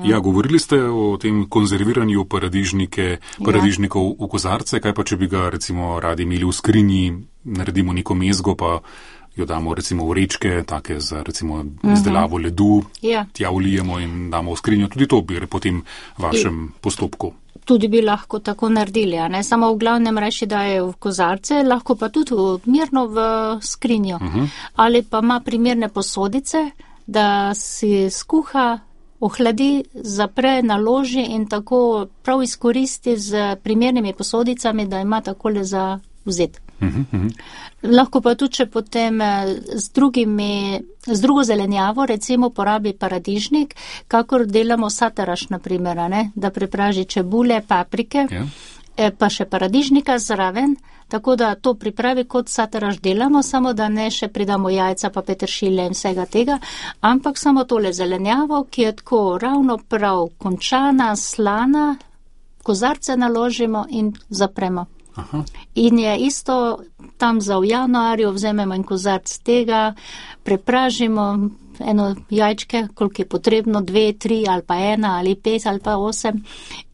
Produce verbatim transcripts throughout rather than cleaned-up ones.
Ja, govorili ste o tem konzerviranju paradižnike, paradižnikov v kozarce, kaj pa če bi ga recimo radi imeli v skrinji, naredimo neko mezgo, pa jo damo recimo v vrečke, take za recimo izdelavo ledu, Ja. tja vlijemo in damo v skrinjo, tudi to bi po tem vašem postopku. Tudi bi lahko tako naredili, a ne samo v glavnem reči, da je v kozarce, lahko pa tudi mirno v skrinjo. Uh-huh. Ali pa ima primerne posodice, da si skuha, ohladi, zapre, naloži in tako prav izkoristi z primernimi posodicami, da ima takole za vzeti. Uh-huh, uh-huh. Lahko pa tudi, če potem z, drugimi, z drugo zelenjavo recimo porabi paradižnik, kakor delamo sataraš, na primer, a ne, da prepraži čebule, paprike, Ja. eh, pa še paradižnika zraven, tako da to pripravi kot sataraš delamo, samo da ne še pridamo jajca pa peteršilja in vsega tega, ampak samo tole zelenjavo, ki je tako ravno prav končana, slana, kozarce naložimo in zapremo. Aha. In je isto tam za v januarju, vzememo en kozarc tega, prepražimo eno jajčke, koliko je potrebno, dve, tri ali pa ena ali pet ali pa osem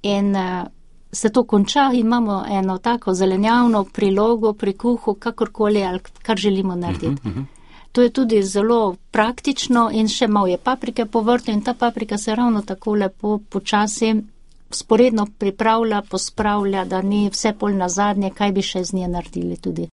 in uh, se to konča in imamo eno tako zelenjavno prilogo pri kuhu, kakorkoli ali kar želimo narediti. Uh-huh, uh-huh. To je tudi zelo praktično in še malo je paprike po vrtu in ta paprika se ravno tako lepo počasi sporedno pripravlja, pospravlja, da ni vse pol na zadnje, kaj bi še z nje naredili tudi.